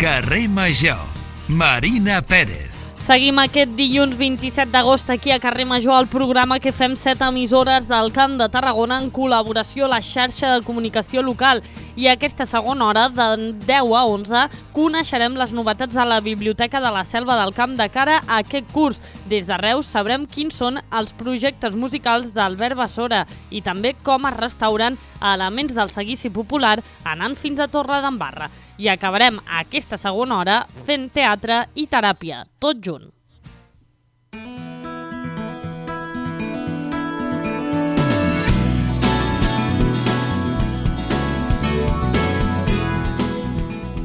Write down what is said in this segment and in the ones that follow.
Carrer Major, Marina Pérez. Seguim aquest dilluns 27 d'agost aquí a Carrer Major, el programa que fem 7 emissores del Camp de Tarragona en col·laboració a la xarxa de comunicació local. I aquesta segona hora, de 10 a 11, coneixerem les novetats de la Biblioteca de la Selva del Camp de cara a aquest curs. Des de Reus sabrem quins són els projectes musicals d'Albert Bassora i també com es restauren elements del seguici popular anant fins a Torredembarra. I acabarem aquesta segona hora fent teatre i teràpia, tot junt.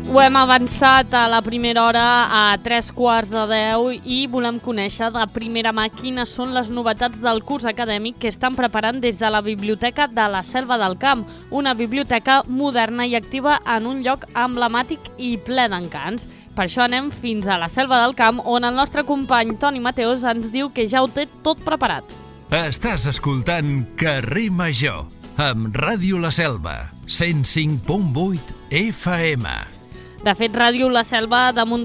Ho hem avançat a la primera hora a 3:15 i volem conèixer de primera mà quines són les novetats del curs acadèmic que estan preparant des de la Biblioteca de la Selva del Camp, una biblioteca moderna i activa en un lloc emblemàtic i ple d'encants. Per això anem fins a la Selva del Camp, on el nostre company Toni Mateos ens diu que ja ho té tot preparat. Estàs escoltant Carrer Major, amb Ràdio La Selva, 105.8 FM. De fet, Ràdio La Selva està damunt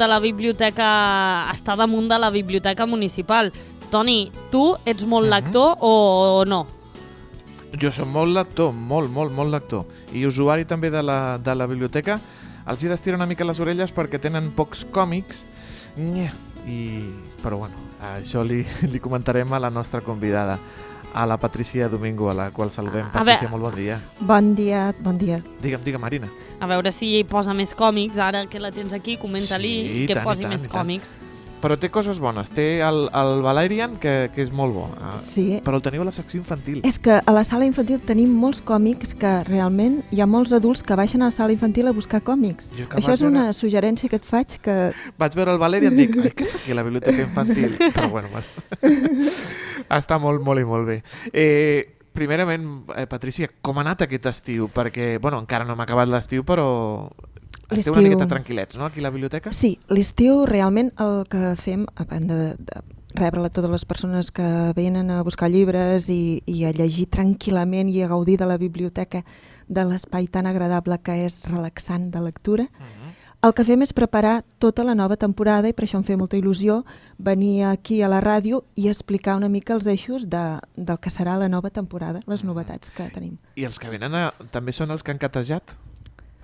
de la biblioteca municipal. Toni, tu ets molt lector o no? Jo soc molt lector, molt lector. I usuari també de la biblioteca. Els hi d'estirar una mica les orelles perquè tenen pocs còmics. Però bueno, això li comentarem a la nostra convidada, a la Patricia Domingo, a la qual saludem. Patricia, molt bon dia. Bon dia. Digue'm, Marina. A veure si posa més còmics, ara que la tens aquí, comenta-li que posi més còmics. Però té coses bones, té el Valerian, que és molt bo, sí. Però el teniu a la secció infantil. És que a la sala infantil tenim molts còmics que realment hi ha molts adults que baixen a la sala infantil a buscar còmics. Això és una suggerència que et faig que... Vaig veure el Valerian i dic, què fa aquí a la biblioteca infantil? Però bueno. Està molt i molt bé. Primerament, Patricia, com ha anat aquest estiu? Perquè, encara no hem acabat l'estiu, però... Esteu una miqueta tranquil·lets, no?, aquí a la biblioteca? Sí, l'estiu realment el que fem, a banda de rebre totes les persones que venen a buscar llibres i a llegir tranquil·lament i a gaudir de la biblioteca, de l'espai tan agradable que és relaxant de lectura, el que fem és preparar tota la nova temporada i per això em fa molta il·lusió venir aquí a la ràdio i explicar una mica els eixos del que serà la nova temporada, les novetats que tenim. I els que venen també són els que han catejat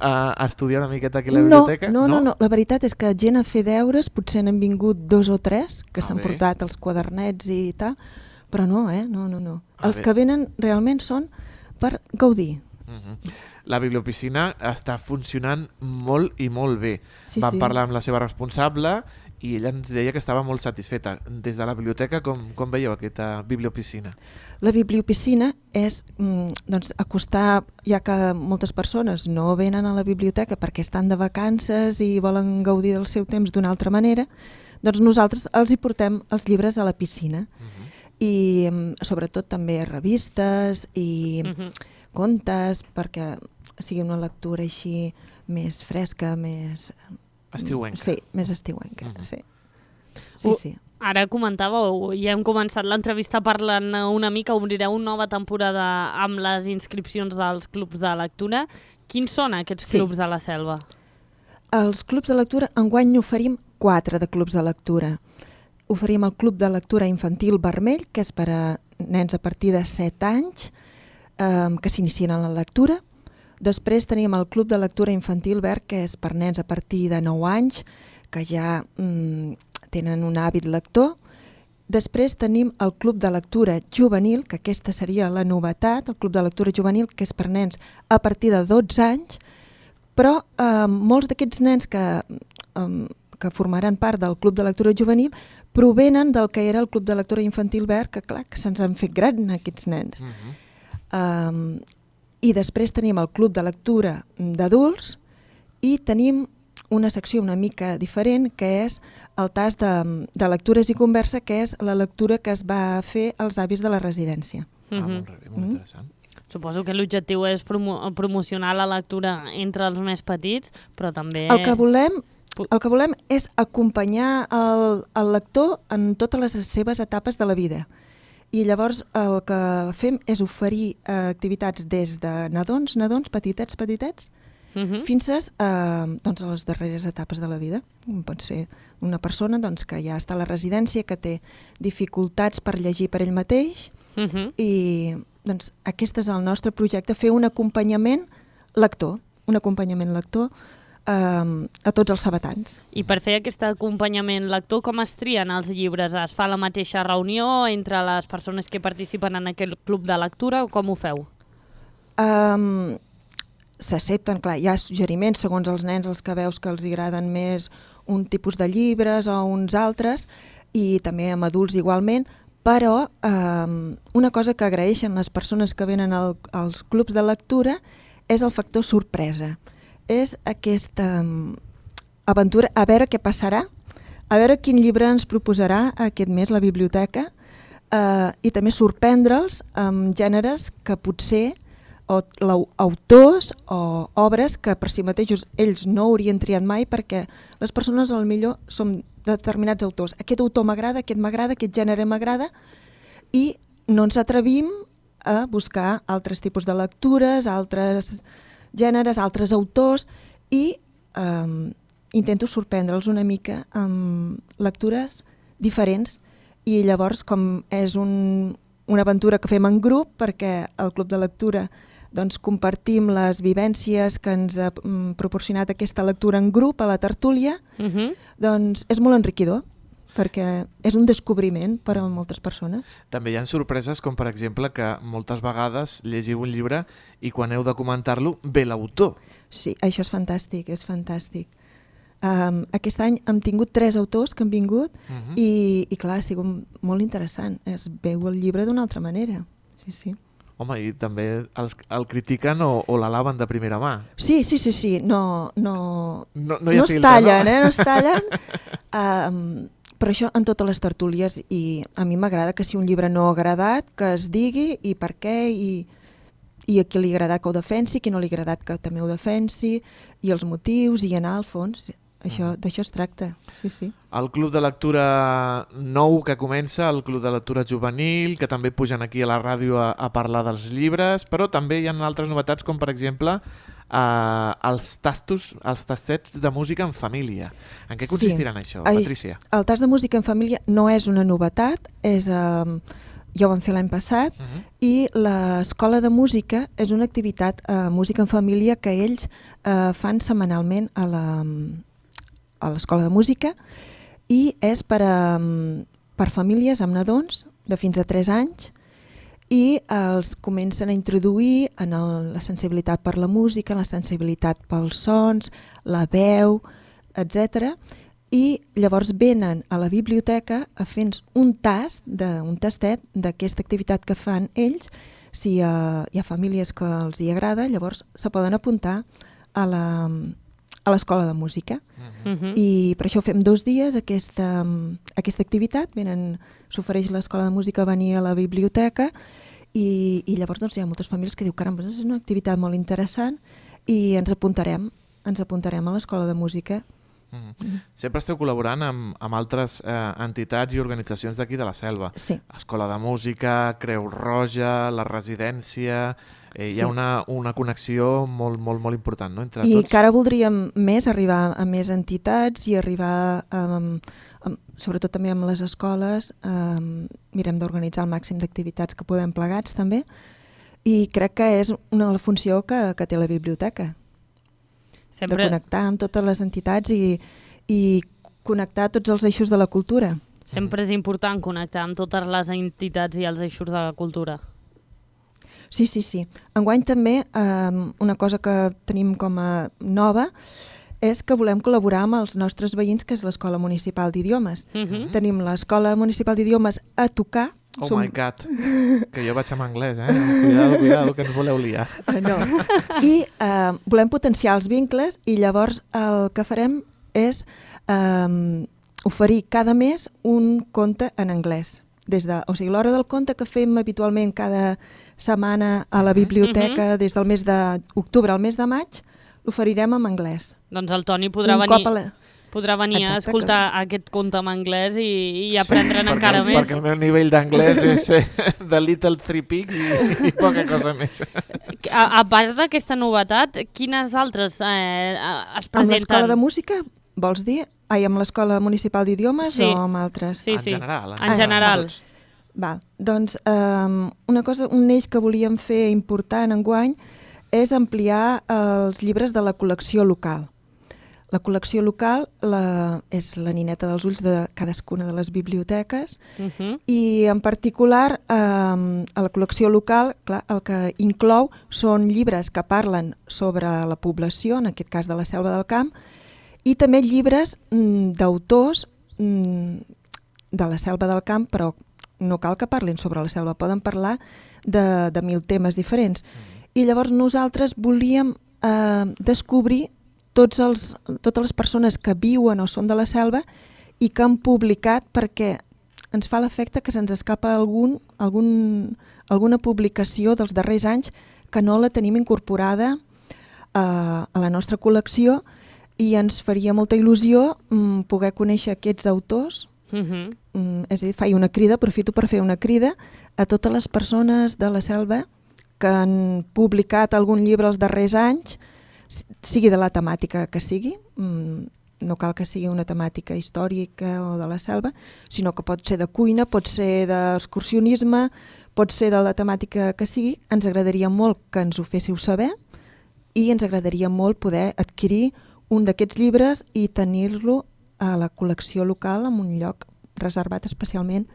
a estudiar una miqueta aquí a la biblioteca? No. La veritat és que gent a fer deures, potser n'han vingut 2 o 3 que s'han portat els quadernets i tal, però no. Els que venen realment són per gaudir. La bibliopiscina està funcionant molt i molt bé. Vam parlar amb la seva responsable i ella ens deia que estava molt satisfeta. Des de la biblioteca, com veieu aquesta bibliopiscina? La bibliopiscina és acostar, ja que moltes persones no venen a la biblioteca perquè estan de vacances i volen gaudir del seu temps d'una altra manera, doncs nosaltres els hi portem els llibres a la piscina. I sobretot també revistes i contes, perquè sigui una lectura així més fresca, més... Estiuenca. Sí, més estiuenca, sí. Ara comentàveu, ja hem començat l'entrevista parlant una mica, obrireu una nova temporada amb les inscripcions dels clubs de lectura. Quins són aquests clubs de la Selva? Els clubs de lectura, enguany n'oferim 4 de clubs de lectura. Oferim el Club de Lectura Infantil Vermell, que és per a nens a partir de 7 anys, que s'inicien en la lectura. Després tenim el Club de Lectura Infantil Verd, que és per nens a partir de 9 anys, que ja tenen un hàbit lector. Després tenim el Club de Lectura Juvenil, que aquesta seria la novetat, el Club de Lectura Juvenil, que és per nens a partir de 12 anys, però molts d'aquests nens que formaran part del Club de Lectura Juvenil provenen del que era el Club de Lectura Infantil Verd, que clar, que se'ns han fet gran aquests nens. I després tenim el Club de Lectura d'Adults i tenim una secció una mica diferent, que és el tast de lectures i conversa, que és la lectura que es va fer als avis de la residència. Molt interessant. Suposo que l'objectiu és promocionar la lectura entre els més petits, però també... El que volem és acompanyar el lector en totes les seves etapes de la vida. I llavors el que fem és oferir activitats des de nadons, petitets, fins a les darreres etapes de la vida. Pot ser una persona que ja està a la residència, que té dificultats per llegir per ell mateix, i aquest és el nostre projecte, fer un acompanyament lector a tots els sabetans. I per fer aquest acompanyament lector, com es trien els llibres? Es fa la mateixa reunió entre les persones que participen en aquest club de lectura o com ho feu? S'accepten, clar, hi ha suggeriments segons els nens, els que veus que els agraden més un tipus de llibres o uns altres, i també amb adults igualment, però una cosa que agraeixen les persones que venen als clubs de lectura és el factor sorpresa. És aquesta aventura, a veure què passarà, a veure quin llibre ens proposarà aquest mes la biblioteca, i també sorprendre'ls amb gèneres que potser, o autors o obres que per si mateixos ells no haurien triat mai, perquè les persones potser som determinats autors. Aquest autor m'agrada, aquest gènere m'agrada, i no ens atrevim a buscar altres tipus de lectures, altres gèneres, altres autors, i intento sorprendre'ls una mica amb lectures diferents, i llavors, com és una aventura que fem en grup, perquè al club de lectura compartim les vivències que ens ha proporcionat aquesta lectura en grup a la tertúlia, doncs és molt enriquidor, perquè és un descobriment per a moltes persones. També hi ha sorpreses com, per exemple, que moltes vegades llegiu un llibre i quan heu de comentar-lo ve l'autor. Sí, això és fantàstic, és fantàstic. Aquest any hem tingut 3 autors que han vingut i clar, ha sigut molt interessant. Es veu el llibre d'una altra manera. Sí, sí. Home, i també el critiquen o l'alaben de primera mà. Sí. No es filtre, tallen, no? No es tallen. Però això en totes les tertúlies, i a mi m'agrada que si un llibre no ha agradat, que es digui i per què, i a qui li ha agradat que ho defensi, qui no li ha agradat que també ho defensi, i els motius, i anar al fons. D'això es tracta, sí. El club de lectura nou que comença, el club de lectura juvenil, que també pugen aquí a la ràdio a parlar dels llibres, però també hi ha altres novetats, com per exemple els tastets de música en família. En què consistiran això, Patrícia? El tast de música en família no és una novetat, ja ho vam fer l'any passat, i l'escola de música és una activitat música en família que ells fan setmanalment a l'escola de música, i és per famílies amb nadons de fins a 3 anys, i els comencen a introduir en la sensibilitat per la música, la sensibilitat pels sons, la veu, etc. I llavors venen a la biblioteca a fer un tastet d'aquesta activitat que fan ells. Si hi ha famílies que els hi agrada, llavors se poden apuntar a l'escola de música. I per això fem 2 dies aquesta activitat. S'ofereix l'escola de música a venir a la biblioteca, i llavors hi ha moltes famílies que diuen caramba, és una activitat molt interessant, i ens apuntarem a l'escola de música. Sempre esteu col·laborant amb altres entitats i organitzacions d'aquí de la Selva. Sí. Escola de Música, Creu Roja, la residència... Hi ha una connexió molt important, no?, entre tots. I que ara voldríem arribar a més entitats i arribar, sobretot també amb les escoles, mirem d'organitzar el màxim d'activitats que podem plegats també, i crec que és una funció que té la biblioteca. De connectar amb totes les entitats i connectar tots els eixos de la cultura. Sempre és important connectar amb totes les entitats i els eixos de la cultura. Sí. Enguany també una cosa que tenim com a nova és que volem col·laborar amb els nostres veïns, que és l'Escola Municipal d'Idiomes. Tenim l'Escola Municipal d'Idiomes a tocar. My God, que jo vaig amb anglès, Cuidado, que ens voleu liar. No. I volem potenciar els vincles, i llavors el que farem és oferir cada mes un conte en anglès. L'hora del conte que fem habitualment cada setmana a la biblioteca des del mes d'octubre al mes de maig, l'oferirem en anglès. Doncs el Toni podrà venir... Podrà venir a Exacte, escoltar aquest conte en anglès i aprendre'n encara més. Perquè el meu nivell d'anglès és The Little Three Pigs i poca cosa més. A part d'aquesta novetat, quines altres es Amb presenten? l'escola de música, vols dir? Amb l'escola municipal d'idiomes Sí. o amb altres? Sí, En sí. general. En general. Val. Doncs un eix que volíem fer important enguany és ampliar els llibres de la col·lecció local. La col·lecció local és la nineta dels ulls de cadascuna de les biblioteques i en particular a la col·lecció local clar, el que inclou són llibres que parlen sobre la població, en aquest cas de la Selva del Camp, i també llibres d'autors de la Selva del Camp, però no cal que parlin sobre la selva, poden parlar de 1000 temes diferents. I llavors nosaltres volíem descobrir totes les persones que viuen o són de la selva i que han publicat, perquè ens fa l'efecte que se'ns escapa alguna publicació dels darrers anys que no la tenim incorporada a la nostra col·lecció i ens faria molta il·lusió poder conèixer aquests autors. És a dir, faig una crida, aprofito per fer una crida a totes les persones de la selva que han publicat algun llibre els darrers anys, sigui de la temàtica que sigui, no cal que sigui una temàtica històrica o de la selva, sinó que pot ser de cuina, pot ser d'excursionisme, pot ser de la temàtica que sigui. Ens agradaria molt que ens ho féssiu saber i ens agradaria molt poder adquirir un d'aquests llibres i tenir-lo a la col·lecció local en un lloc reservat especialment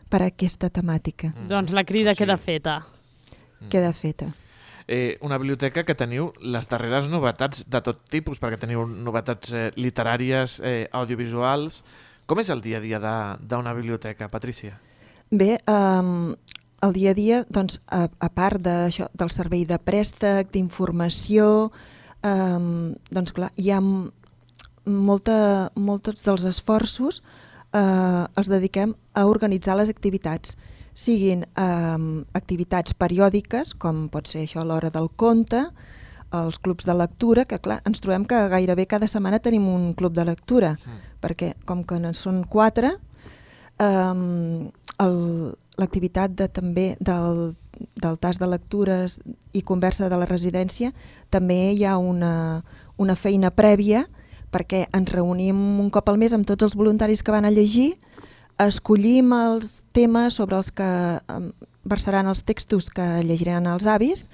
per a aquesta temàtica. Doncs la crida queda feta. Queda feta. Una biblioteca que teniu les darreres novetats de tot tipus, perquè teniu novetats literàries, audiovisuals. Com és el dia a dia d'una biblioteca, Patrícia? Bé, el dia a dia, doncs, a part d'això, del servei de préstec, d'informació, doncs clar, hi ha molts dels esforços els dediquem a organitzar les activitats, siguin activitats periòdiques, com pot ser això a l'hora del conte, els clubs de lectura, que clar, ens trobem que gairebé cada setmana tenim un club de lectura, perquè com que en són 4, l'activitat també del tas de lectures i conversa de la residència, també hi ha una feina prèvia, perquè ens reunim un cop al mes amb tots els voluntaris que van a llegir, escollim els temes sobre els que versaran els textos que llegiran els avis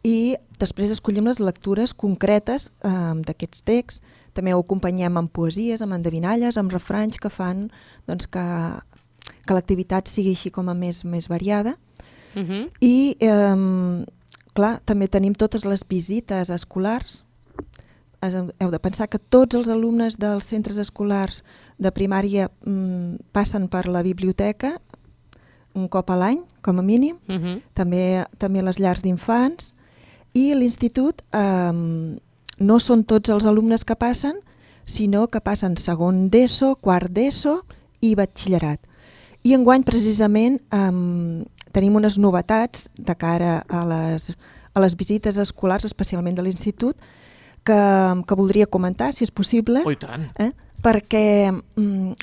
i després escollim les lectures concretes d'aquests texts. També ho acompanyem amb poesies, amb endevinalles, amb refranys que fan doncs, que l'activitat sigui així com a més variada. I clar, també tenim totes les visites escolars. Heu de pensar que tots els alumnes dels centres escolars de primària passen per la biblioteca un cop a l'any, com a mínim, també les llars d'infants, i l'institut no són tots els alumnes que passen, sinó que passen segon d'ESO, quart d'ESO i batxillerat. I enguany precisament tenim unes novetats de cara a les visites escolars, especialment de l'institut, que voldria comentar, si és possible. Oh, i tant! Perquè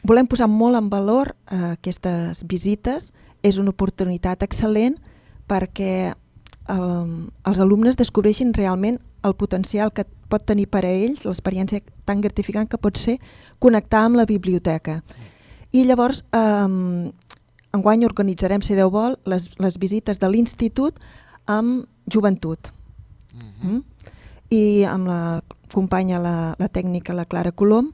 volem posar molt en valor aquestes visites. És una oportunitat excel·lent perquè els alumnes descobreixin realment el potencial que pot tenir per a ells, l'experiència tan gratificant que pot ser connectar amb la biblioteca. I llavors, enguany organitzarem, si Déu vol, les visites de l'institut amb joventut. I amb la companya, la tècnica, la Clara Colom,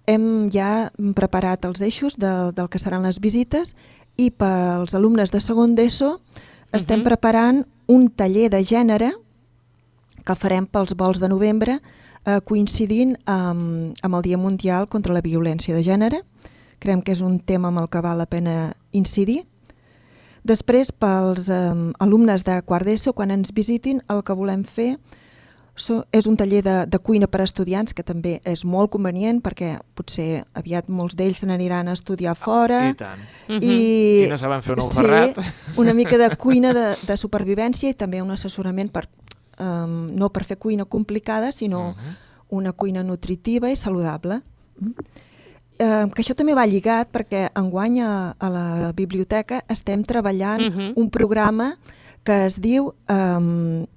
hem ja preparat els eixos del que seran les visites i pels alumnes de segon d'ESO estem preparant un taller de gènere que el farem pels vols de novembre coincidint amb el Dia Mundial contra la Violència de Gènere. Creiem que és un tema amb el que val la pena incidir. Després, pels alumnes de quart d'ESO, quan ens visitin, el que volem fer és un taller de cuina per a estudiants, que també és molt convenient perquè potser aviat molts d'ells se n'aniran a estudiar fora. I tant. I no saben fer un ferrat. Sí, una mica de cuina de supervivència i també un assessorament no per fer cuina complicada, sinó una cuina nutritiva i saludable. Que això també va lligat perquè enguany a la biblioteca estem treballant un programa que es diu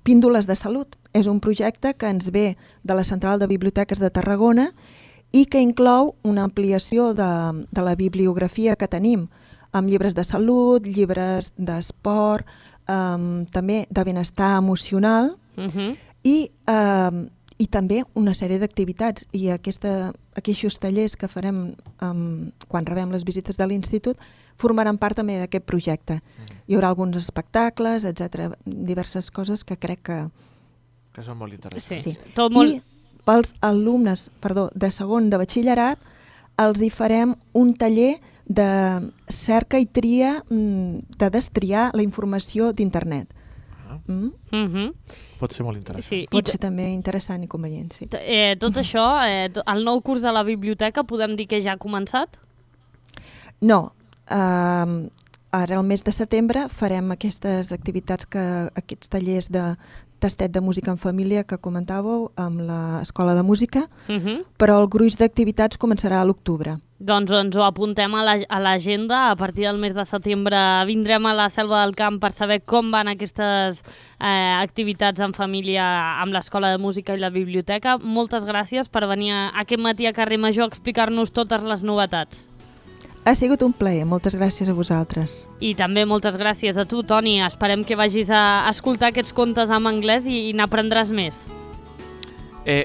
Píndoles de Salut. És un projecte que ens ve de la Central de Biblioteques de Tarragona i que inclou una ampliació de la bibliografia que tenim amb llibres de salut, llibres d'esport, també de benestar emocional i també una sèrie d'activitats. I aquests tallers que farem quan rebem les visites de l'institut formaran part també d'aquest projecte. Hi haurà alguns espectacles, etc., diverses coses que crec que són molt interessants. Sí. I pels alumnes de segon de batxillerat els hi farem un taller de cerca i tria, de destriar la informació d'internet. Pot ser molt interessant. Sí. Pot ser també interessant i convenient, sí. Tot això, el nou curs de la biblioteca, podem dir que ja ha començat? No. Ara, al mes de setembre, farem aquestes activitats, aquests tallers de tastet de música en família que comentàveu amb l'Escola de Música, però el gruix d'activitats començarà a l'octubre. Doncs ens ho apuntem a l'agenda. A partir del mes de setembre vindrem a la Selva del Camp per saber com van aquestes activitats en família amb l'Escola de Música i la biblioteca. Moltes gràcies per venir aquest matí a Carrer Major a explicar-nos totes les novetats. Ha sigut un plaer, moltes gràcies a vosaltres. I també moltes gràcies a tu, Toni. Esperem que vagis a escoltar aquests contes en anglès i n'aprendràs més.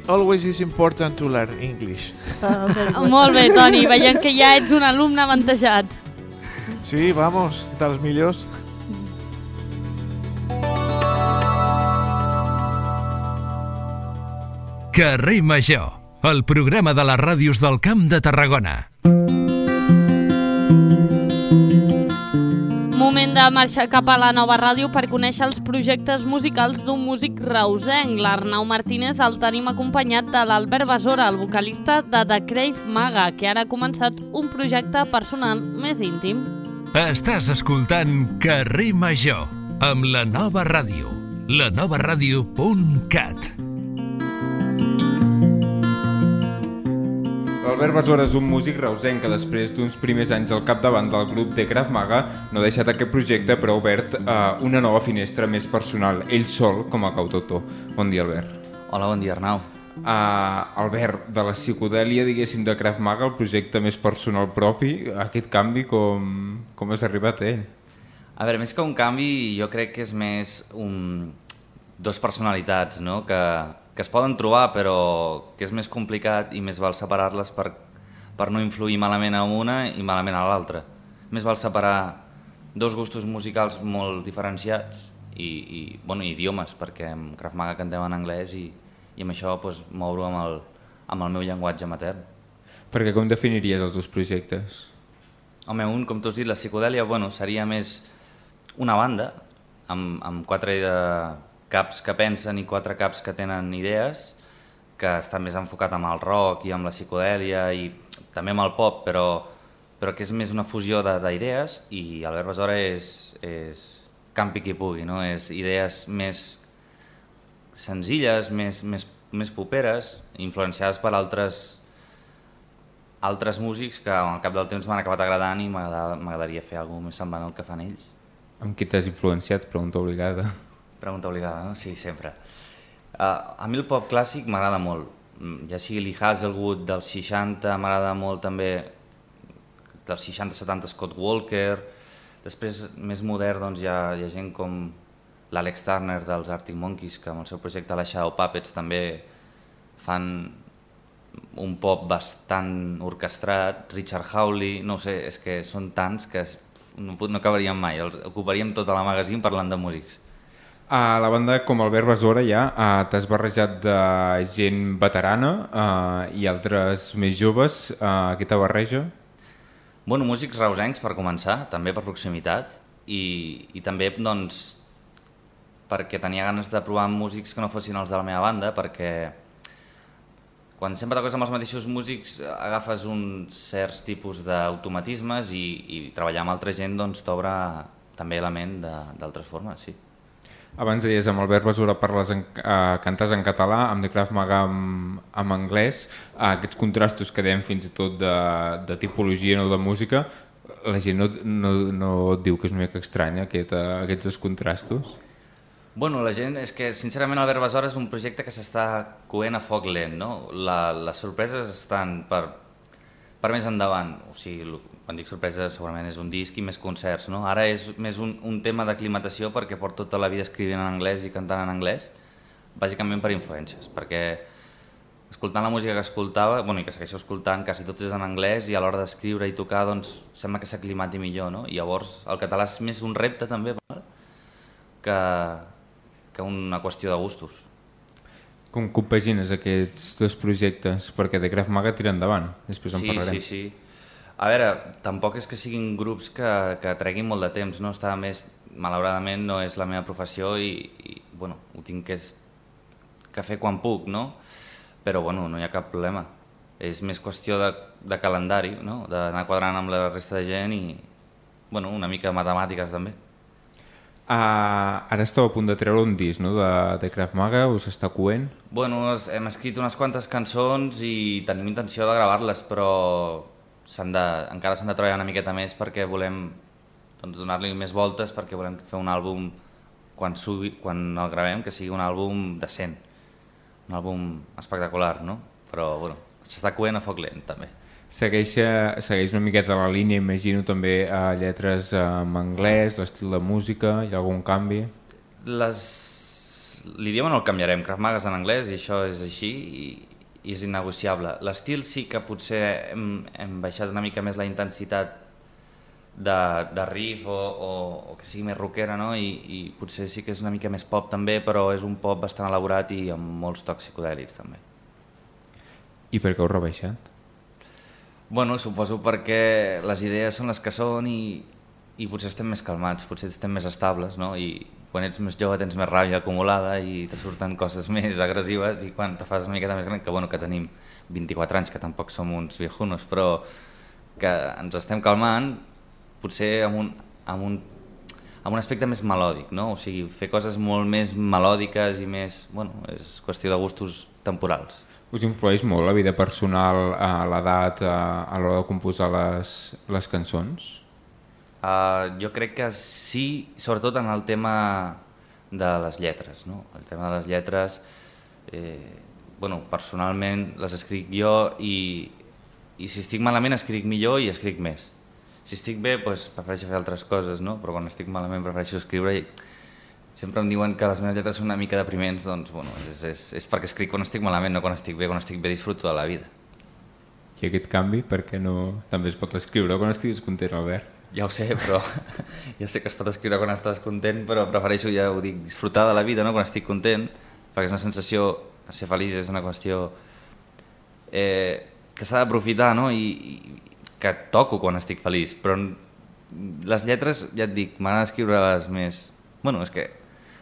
Always is important to learn English. Molt bé, Toni. Veiem que ja ets un alumne avantatjat. Sí, vamos, dels millors. Carrer Major, el programa de les ràdios del Camp de Tarragona. Moment de marxar cap a la nova ràdio per conèixer els projectes musicals d'un músic reusenc. L'Arnau Martínez el tenim acompanyat de l'Albert Besora, el vocalista de The Crave Maga, que ara ha començat un projecte personal més íntim. Estàs escoltant Carrer Major amb la nova ràdio, lanovaradio.cat. L'Albert Besora és un músic reusenc que després d'uns primers anys al capdavant del grup de Krav Maga no ha deixat aquest projecte però ha obert una nova finestra més personal, ell sol com a cantautor. Bon dia, Albert. Hola, bon dia, Arnau. Albert, de la psicodèlia, diguéssim, de Krav Maga, el projecte més personal propi, aquest canvi com has arribat a ell? A veure, més que un canvi, jo crec que és més dos personalitats, no?, que es poden trobar, però que és més complicat i més val separar-les per no influir malament a una i malament a l'altra. Més val separar dos gustos musicals molt diferenciats i idiomes, perquè amb Krav Maga cantem en anglès i amb això moure-ho amb el meu llenguatge matern. Perquè com definiries els dos projectes? Home, un, com tu has dit, la psicodèlia, seria més una banda amb 4 caps que pensen i 4 caps que tenen idees, que està més enfocat amb el rock i amb la psicodèlia i també amb el pop, però que és més una fusió d'idees, i Albert Besora és campi qui pugui, no? És idees més senzilles, més poperes, influenciades per altres músics que al cap del temps m'han acabat agradant i m'agradaria fer alguna cosa més semblant al que fan ells. Amb qui t'has influenciat? Pregunta obligada. Pregunta obligada, no? Sí, sempre. A mi el pop clàssic m'agrada molt, ja sigui Lee Hazlewood dels 60, m'agrada molt també dels 60-70 Scott Walker, després més modern doncs, hi ha gent com l'Alex Turner dels Arctic Monkeys, que amb el seu projecte La Shadow Puppets també fan un pop bastant orquestrat, Richard Hawley, no sé, és que són tants que no acabaríem mai, els ocuparíem tota la magazine parlant de músics. A la banda, com Albert Besora, ja t'has barrejat de gent veterana i altres més joves. Què te barreja? Músics reusencs, per començar, també per proximitat, i també doncs, perquè tenia ganes de provar músics que no fossin els de la meva banda, perquè quan sempre toques amb els mateixos músics agafes uns certs tipus d'automatismes i treballar amb altra gent doncs, t'obre també la ment d'altres formes, sí. Abans deies, amb Albert Besora cantes en català, amb The Krav Maga en anglès. Aquests contrastos que dèiem fins i tot de tipologia, no de música, la gent no et diu que és una mica estranya aquests dos contrastos? Bueno, la gent, és que sincerament Albert Besora és un projecte que s'està coent a foc lent, no? Les sorpreses estan per més endavant, o sigui, quan dic sorpresa segurament és un disc i més concerts, no? Ara és més un tema d'aclimatació perquè porto tota la vida escrivint en anglès i cantant en anglès, bàsicament per influències, perquè escoltant la música que escoltava, bueno, i que segueixo escoltant, quasi tot és en anglès i a l'hora d'escriure i tocar, doncs, sembla que s'aclimati millor, no? I llavors el català és més un repte també que una qüestió de gustos. Com compagines aquests dos projectes? Perquè The Krav Maga tira endavant, després en parlarem. Sí. A veure, tampoc és que siguin grups que treguin molt de temps, no? Està més, malauradament no és la meva professió i bueno, ho tinc que fer quan puc, no? Però bueno, no hi ha cap problema. És més qüestió de calendari, no? D'anar quadrant amb la resta de gent i bueno, una mica de matemàtiques també. Ara esteu a punt de treure un disc, no?, de Krav Maga, us està coent? Bueno, hem escrit unes quantes cançons i tenim intenció de gravar-les, però encara s'han de treballar una miqueta més perquè volem donar-li més voltes, perquè volem fer un àlbum quan el gravem, que sigui un àlbum decent, un àlbum espectacular, no? Però bueno, s'està coent a foc lent també. Segueix una miqueta la línia, imagino, també a lletres en anglès, l'estil de música, hi ha algun canvi? L'idioma no el canviarem, Krav Maga és en anglès i això és així i és innegociable. L'estil sí que potser hem baixat una mica més la intensitat de riff o que sigui més rockera, no? I potser sí que és una mica més pop també, però és un pop bastant elaborat i amb molts tocs psicodèlics també. I per què heu rebaixat? Bueno, suposo perquè les idees són les que són i potser estem més calmats, potser estem més estables, no? I quan ets més jove tens més ràbia acumulada i te surten coses més agressives i quan te fas una miqueta més gran, que tenim 24 anys, que tampoc som uns viejunos, però que ens estem calmant, potser amb un aspecte més melòdic, no? O sigui, fer coses molt més melòdiques i més... Bueno, és qüestió de gustos temporals. Us influeix molt la vida personal, l'edat, a l'hora de composar les cançons? Jo crec que sí, sobretot en el tema de les lletres, no? El tema de les lletres, personalment les escric jo i si estic malament escric millor i escric més. Si estic bé, doncs prefereixo fer altres coses, no? Però quan estic malament prefereixo escriure i sempre em diuen que les meves lletres són una mica depriments, doncs bueno, és perquè escric quan estic malament, no quan estic bé disfruto de la vida. I aquest canvi, per què no també es pot escriure quan estiguis content, Albert? Ja ho sé, però ja sé que es pot escriure quan estàs content, però prefereixo, ja ho dic, disfrutar de la vida, no? Quan estic content, perquè és una sensació, ser feliç és una qüestió que s'ha d'aprofitar, no? I que toco quan estic feliç, però les lletres, ja et dic, m'agrada escriure-les més... Bueno, és que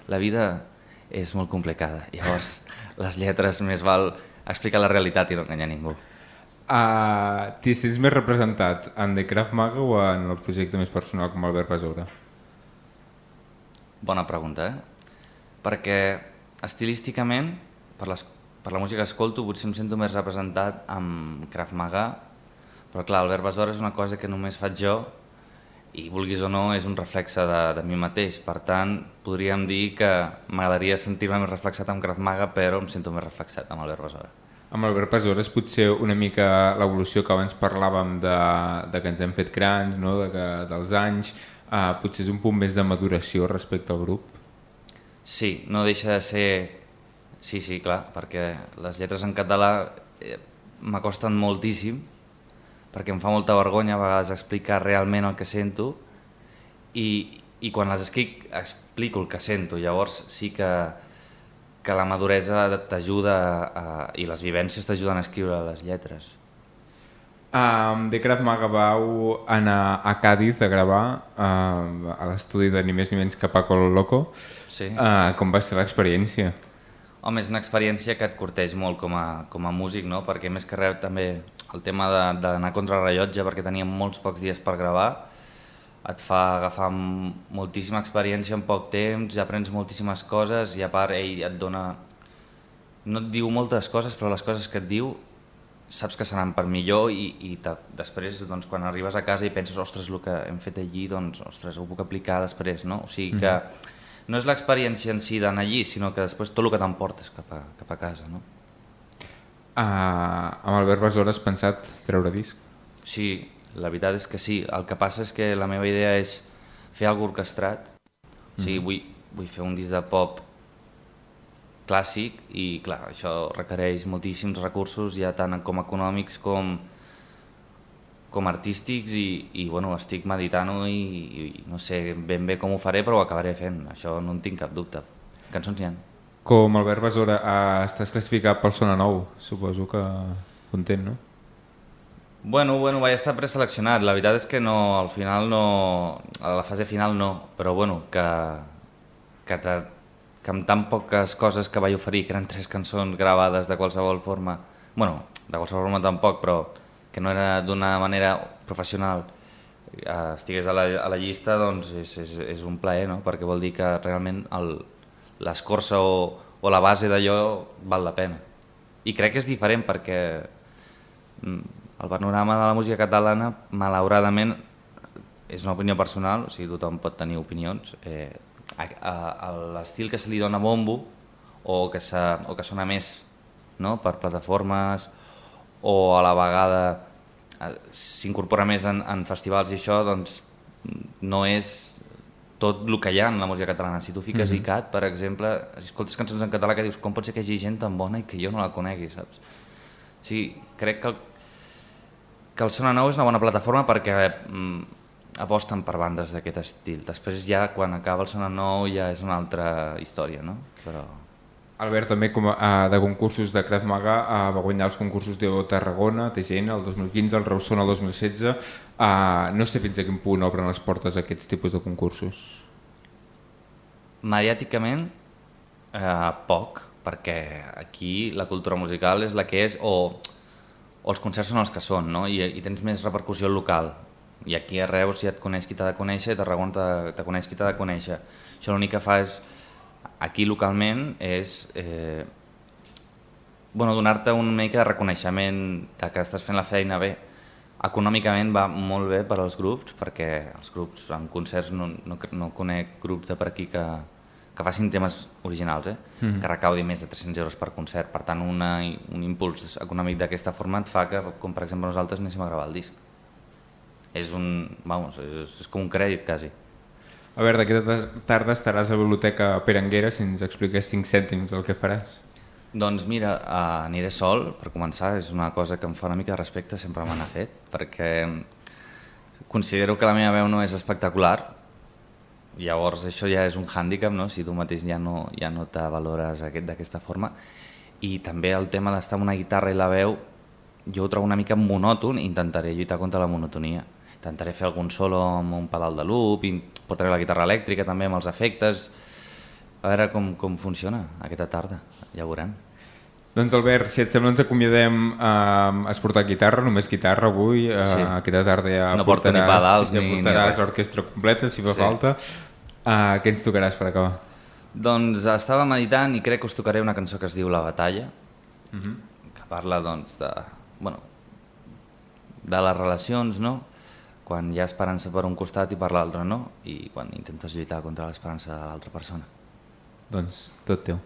la vida és molt complicada, llavors les lletres més val explicar la realitat i no enganyar ningú. T'hi sents més representat en The Krav Maga o en el projecte més personal com Albert Besora? Bona pregunta, Perquè estilísticament, per la música que escolto, potser em sento més representat amb Krav Maga, però clar, Albert Besora és una cosa que només faig jo i vulguis o no és un reflexe de mi mateix. Per tant, podríem dir que m'agradaria sentir-me més reflexat amb Krav Maga, però em sento més reflexat amb Albert Besora. Amb Albert Besora és potser una mica l'evolució que abans parlàvem de que ens hem fet grans, no? Dels anys, potser és un punt més de maduració respecte al grup? Sí, no deixa de ser... Sí, clar, perquè les lletres en català m'acosten moltíssim, perquè em fa molta vergonya a vegades explicar realment el que sento i quan les escric explico el que sento, llavors sí que la maduresa t'ajuda i les vivències t'ajuden a escriure les lletres. De Krav Maga vau anar a Càdiz a gravar a l'estudi de ni més ni menys que Paco el Loco. Sí. Com va ser l'experiència? Home, és una experiència que et curteix molt com a músic, no? Perquè més que res també el tema d'anar contra rellotge, perquè teníem molts pocs dies per gravar, et fa agafar moltíssima experiència en poc temps, ja aprens moltíssimes coses i a part ell et dona... No et diu moltes coses, però les coses que et diu saps que seran per millor i després doncs, quan arribes a casa i penses ostres, el que hem fet allí, doncs ostres, ho puc aplicar després, no? O sigui que no és l'experiència en si d'anar allí, sinó que després tot el que t'emportes cap a casa, no? Amb Albert Besora has pensat treure disc? Sí, la veritat és que sí. El que passa és que la meva idea és fer alguna cosa orquestrat. O sigui, vull fer un disc de pop clàssic i clar, això requereix moltíssims recursos, ja tant com econòmics com artístics i bueno, estic meditant-ho i no sé ben bé com ho faré, però ho acabaré fent, això no en tinc cap dubte. Cançons n'hi ha. Com Albert Besora, estàs classificat pel Sona Nou, suposo que content, no? Bueno, vaig estar preseleccionat, la veritat és que no, al final no, a la fase final no, però bueno, que amb tan poques coses que vaig oferir, que eren 3 cançons gravades de qualsevol forma, bueno, de qualsevol forma tampoc, però que no era d'una manera professional, estigués a la llista, doncs és un plaer, no? Perquè vol dir que realment l'escorça o la base d'allò val la pena. I crec que és diferent perquè el panorama de la música catalana, malauradament, és una opinió personal, o sigui, tothom pot tenir opinions, l'estil que se li dona bombo o que sona més, no? Per plataformes o a la vegada s'incorpora més en festivals i això, doncs no és tot el que hi ha en la música catalana. Si tu fiques ICAT, per exemple, si escoltes cançons en català que dius com pot ser que hi hagi gent tan bona i que jo no la conegui, saps? Sí, crec que el Sona Nou és una bona plataforma perquè aposten per bandes d'aquest estil. Després ja, quan acaba el Sona Nou, ja és una altra història, no? Però... Albert, també de concursos de Krav Maga, va guanyar els concursos de Tarragona, TGN, el 2015, el Reusona el 2016. No sé fins a quin punt obren les portes a aquests tipus de concursos. Mediàticament, poc, perquè aquí la cultura musical és la que és, o els concerts són els que són, no? I tens més repercussió local. I aquí a Reus ja et coneix qui t'ha de conèixer, a Tarragona te coneix qui t'ha de conèixer. Això l'únic que fa és, aquí localment, és donar-te una mica de reconeixement que estàs fent la feina bé. Econòmicament va molt bé per als grups, perquè els grups en concerts no conec grups de per aquí que facin temes originals, que recaudi més de 300 euros per concert. Per tant, un impuls econòmic d'aquesta forma et fa que, com per exemple nosaltres, anéssim a gravar el disc. És com un crèdit, quasi. A veure, d'aquesta tarda estaràs a la Biblioteca Perenguera, si ens expliques 5 cèntims el que faràs. Doncs mira, aniré sol, per començar, és una cosa que em fa una mica de respecte, sempre me n'ha fet, perquè considero que la meva veu no és espectacular, llavors això ja és un hàndicap, no? Si tu mateix ja no te valores d'aquesta forma, i també el tema d'estar amb una guitarra i la veu, jo ho trobo una mica monòton i intentaré lluitar contra la monotonia. Intentaré fer algun solo amb un pedal de loop, i portaré la guitarra elèctrica també amb els efectes, a veure com funciona aquesta tarda, ja ho veurem. Doncs Albert, si et sembla ens acomiadem. Has portat guitarra, només guitarra avui, aquesta tarda ja no porto ni pedals ni portaràs l'orquestra completa si fa falta. Què ens tocaràs per acabar? Doncs estava meditant i crec que us tocaré una cançó que es diu La Batalla, que parla doncs de les relacions, no? Quan hi ha esperança per un costat i per l'altre no, i quan intentes lluitar contra l'esperança de l'altra persona. Doncs tot teu.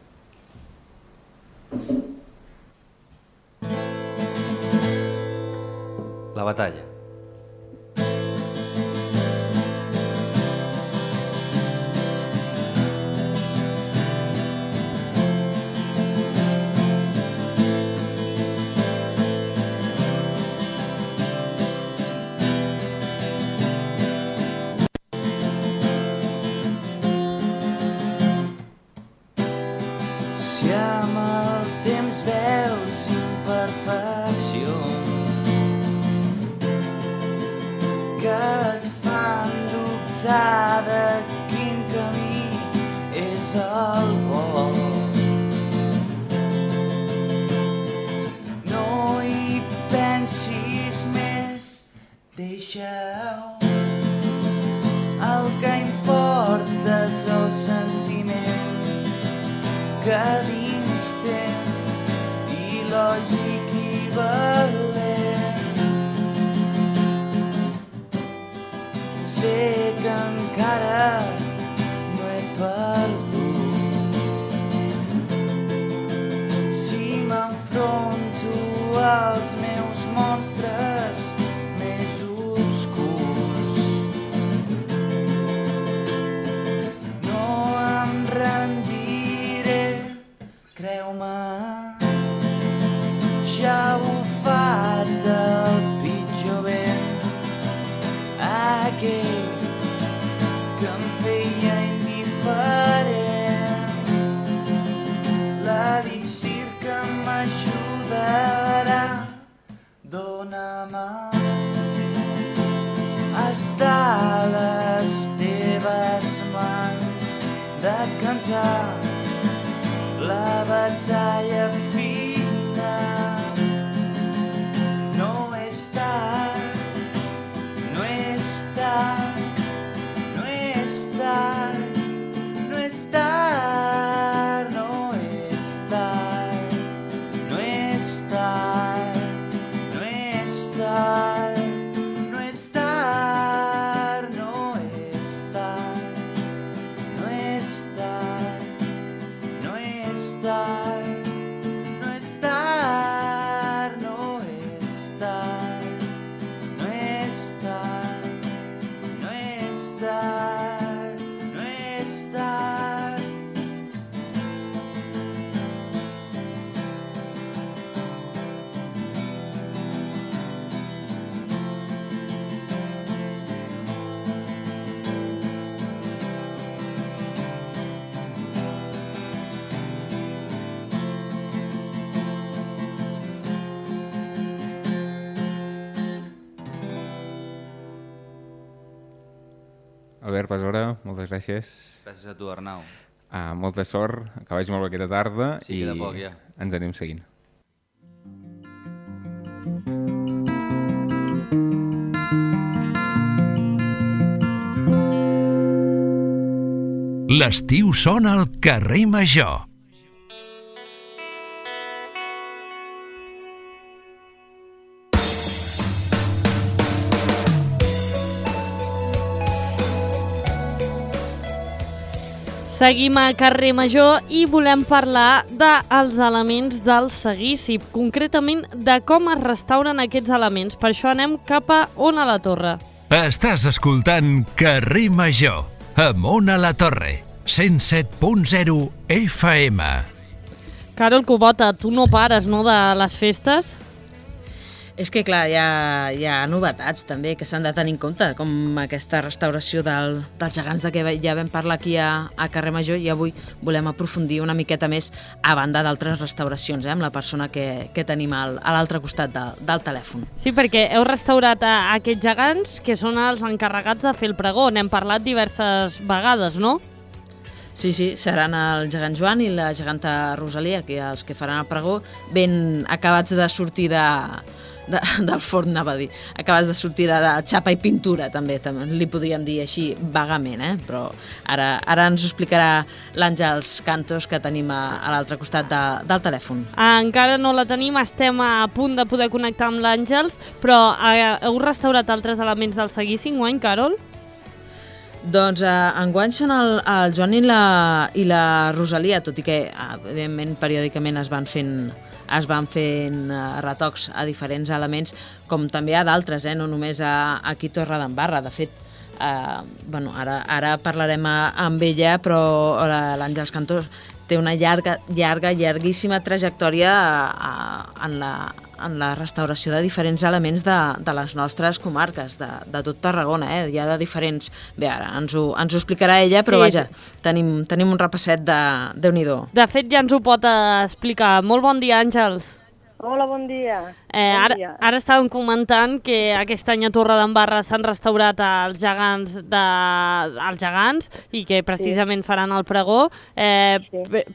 La batalla. que dins tens il·lògic i valent. Sé que encara no he perdut. Si m'enfronto als meus monstres més obscurs, no em rendiré, creu-me, ja ha bufat el pitjor vent, aquell que em feia indiferent. L'elixir que m'ajudarà, dóna-me estar a les teves mans, de cantar la batalla fina. No és tard, no és tard, no és tard, no és tard, no és tard, no és tard, no és tard, no és tard, no és tard, no és tard, no és tard, no és tard, no és tard, no és tard, no és tard, no és tard. Albert Besora, moltes gràcies. Gràcies a tu, Arnau. Molta sort, que vagi molt bé aquesta tarda Sí, queda poc, ja. Ens anem seguint. L'estiu sona al carrer Major. Seguim a carrer Major i volem parlar dels elements del seguici, concretament de com es restauren aquests elements. Per això anem cap a Ona la Torre. Estàs escoltant Carrer Major, amb Ona la Torre, 107.0 FM. Carol Cubota, tu no pares, no, de les festes? És que, clar, hi ha novetats també que s'han de tenir en compte, com aquesta restauració dels gegants de què ja vam parlar aquí a Carrer Major, i avui volem aprofundir una miqueta més a banda d'altres restauracions, amb la persona que tenim a l'altre costat del telèfon. Sí, perquè heu restaurat aquests gegants que són els encarregats de fer el pregó. N'hem parlat diverses vegades, no? Sí, seran el gegant Joan i la geganta Rosalia, que els que faran el pregó, ben acabats de sortir del forn, anava a dir. Acabes de sortir de xapa i pintura, també li podríem dir així vagament, però ara ens ho explicarà l'Àngels Cantos, que tenim a l'altre costat del telèfon. Encara no la tenim, estem a punt de poder connectar amb l'Àngels, però heu restaurat altres elements del seguici enguany, Carol? Doncs enguany són el Joan i la Rosalia, tot i que, evidentment, periòdicament es van fent retocs a diferents elements, com també a d'altres, no només aquí a Torredembarra. De fet, ara parlarem amb ella, però l'Àngels Cantos té una llarguíssima trajectòria en la restauració de diferents elements de les nostres comarques, de tot Tarragona. Hi ha de diferents... Bé, ara ens ho explicarà ella, però vaja, tenim un repasset de Déu-n'hi-do. De fet, ja ens ho pot explicar. Molt bon dia, Àngels. Hola, bon dia. Ara estàvem comentant que aquest any a Torredembarra s'han restaurat els gegants i que precisament faran el pregó.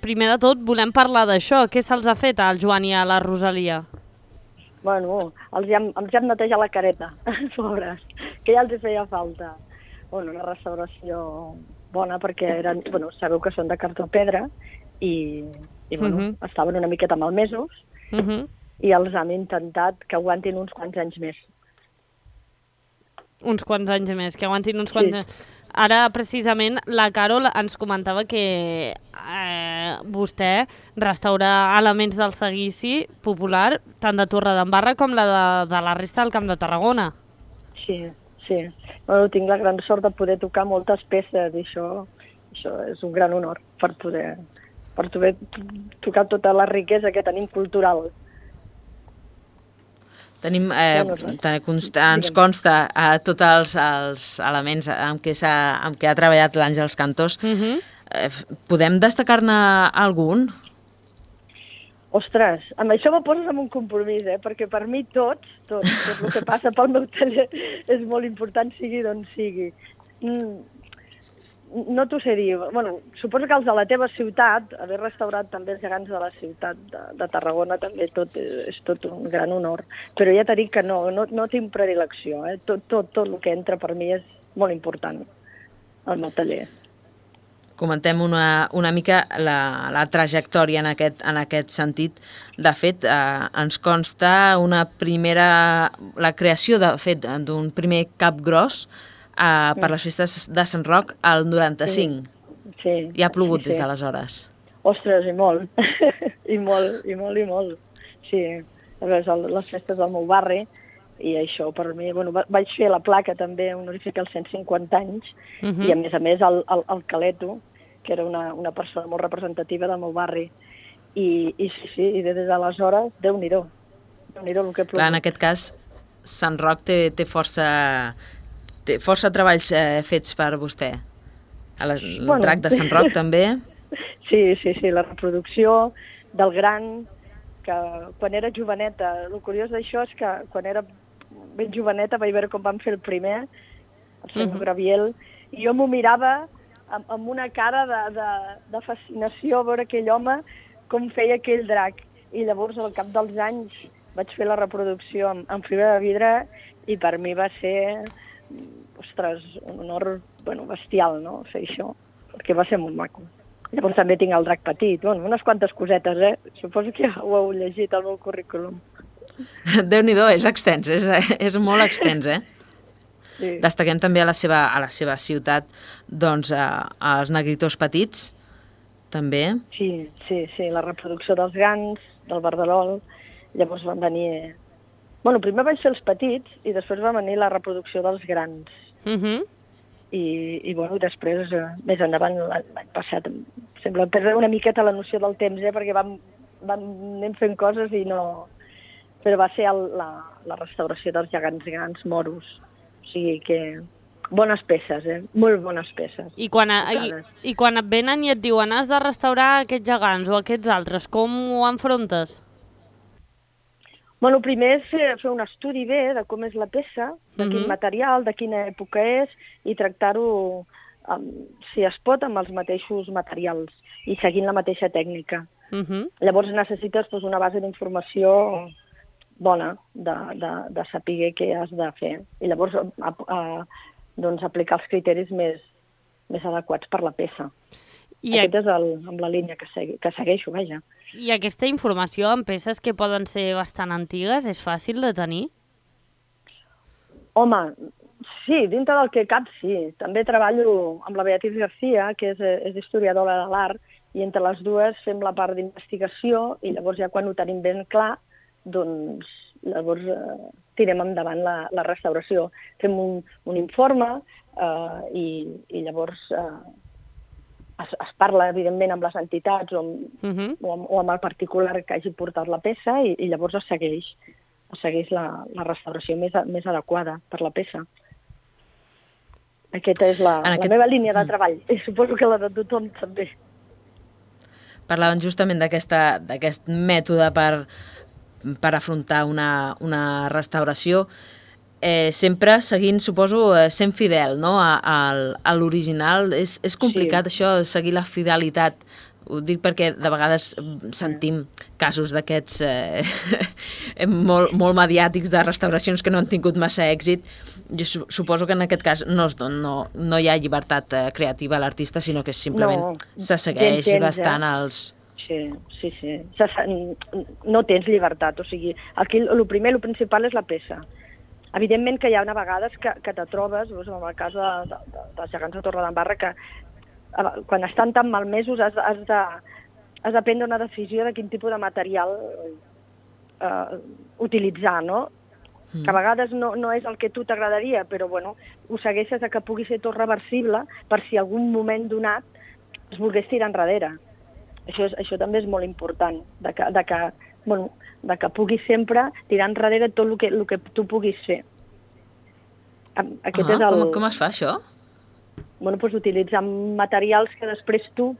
Primer de tot, volem parlar d'això. Què se'ls ha fet al Joan i a la Rosalia? Bueno, els hem netejat la careta, pobres, que ja els hi feia falta. Bueno, una restauració bona perquè sabeu que són de cartó pedra i bueno, estaven una miqueta malmesos i els hem intentat que aguantin uns quants anys més. Uns quants anys més, que aguantin uns quants anys. Ara, precisament, la Carol ens comentava que vostè restaura elements del seguici popular, tant de Torredembarra com de la resta del Camp de Tarragona. Sí. Bueno, tinc la gran sort de poder tocar moltes peces i això és un gran honor per poder tocar tota la riquesa que tenim cultural. Tenim, ens consta tots els elements amb què ha treballat l'Àngels Cantors. Podem destacar-ne algun? Ostres, amb això me poses en un compromís, perquè per mi tot el que passa pel meu taller és molt important, sigui d'on sigui. No t'ho sé dir. Bueno, suposo que els de la teva ciutat, haver restaurat també els gegants de la ciutat de Tarragona, també és tot un gran honor. Però ja t'he dit que no tinc predilecció. Tot el que entra per mi és molt important al meu taller. Comentem una mica la trajectòria en aquest sentit. De fet, ens consta la creació d'un primer cap gros per les festes de Sant Roc al 95. Sí. I ha plogut des d'aleshores. Ostres, i molt. I molt. Sí, les festes del meu barri, i això per mi... Bueno, vaig fer la placa també honorífica als 150 anys, i a més el Caleto, que era una persona molt representativa del meu barri. I sí, i des d'aleshores, Déu-n'hi-do. Déu-n'hi-do el que plogut. Clar, en aquest cas, Sant Roc té força treballs fets per vostè. El drac de Sant Roc també. Sí, la reproducció del gran, que quan era joveneta, el curiós d'això és que quan era ben joveneta vaig veure com van fer el primer, el senyor Graviel, i jo m'ho mirava amb una cara de fascinació a veure aquell home com feia aquell drac. I llavors, al cap dels anys, vaig fer la reproducció en fibra de vidre i per mi va ser... Ostres, un honor bestial, no?, fer això, perquè va ser molt maco. Llavors també tinc el drac petit, unes quantes cosetes, Suposo que ja ho heu llegit al meu currículum. Déu-n'hi-do, és extens, és molt extens, Sí. Destaquem també a la seva ciutat, doncs, els negritors petits, també. Sí, la reproducció dels gans, del verdelol, llavors van venir... Bueno, primer vaig fer els petits i després va venir la reproducció dels grans. I després, més endavant, l'any passat, sembla perdre una miqueta la noció del temps, perquè anem fent coses i no... Però va ser la restauració dels gegants grans moros. O sigui que... Bones peces, molt bones peces. I quan et venen i et diuen has de restaurar aquests gegants o aquests altres, com ho enfrontes? Bueno, primer és fer un estudi bé de com és la peça, de quin material, de quina època és, i tractar-ho, si es pot, amb els mateixos materials i seguint la mateixa tècnica. Llavors necessites una base d'informació bona de saber què has de fer. I llavors aplicar els criteris més adequats per la peça. Aquest és amb la línia que segueixo, vaja. I aquesta informació en peces que poden ser bastant antigues és fàcil de tenir? Home, sí, dintre del que cap sí. També treballo amb la Beatriz García, que és historiadora de l'art, i entre les dues fem la part d'investigació i llavors ja quan ho tenim ben clar, doncs llavors tirem endavant la restauració. Fem un informe i llavors... Es parla, evidentment, amb les entitats o amb el particular que hagi portat la peça i llavors es segueix la restauració més adequada per la peça. Aquesta és la meva línia de treball i suposo que la de tothom també. Parlaven justament d'aquest mètode per afrontar una restauració, sempre seguint, suposo, sent fidel, no?, a l'original. És complicat, això, seguir la fidelitat. Ho dic perquè de vegades sentim casos d'aquests molt mediàtics de restauracions que no han tingut massa èxit. Jo suposo que en aquest cas no hi ha llibertat creativa a l'artista, sinó que simplement se segueix bastant els... Sí. No tens llibertat, o sigui, aquí el principal és la peça. Evidentment que hi ha vegades que te trobes, en el cas dels gegants de Torredembarra, que quan estan tan malmesos has de prendre una decisió de quin tipus de material utilitzar, no? Que a vegades no és el que tu t'agradaria, però bueno, ho segueixes que pugui ser tot reversible per si algun moment donat es volgués tirar enrere. Això també és molt important, de que puguis sempre tirar enrere tot el que tu puguis fer. Aquest és el... Com es fa això? Utilitzar materials que després tu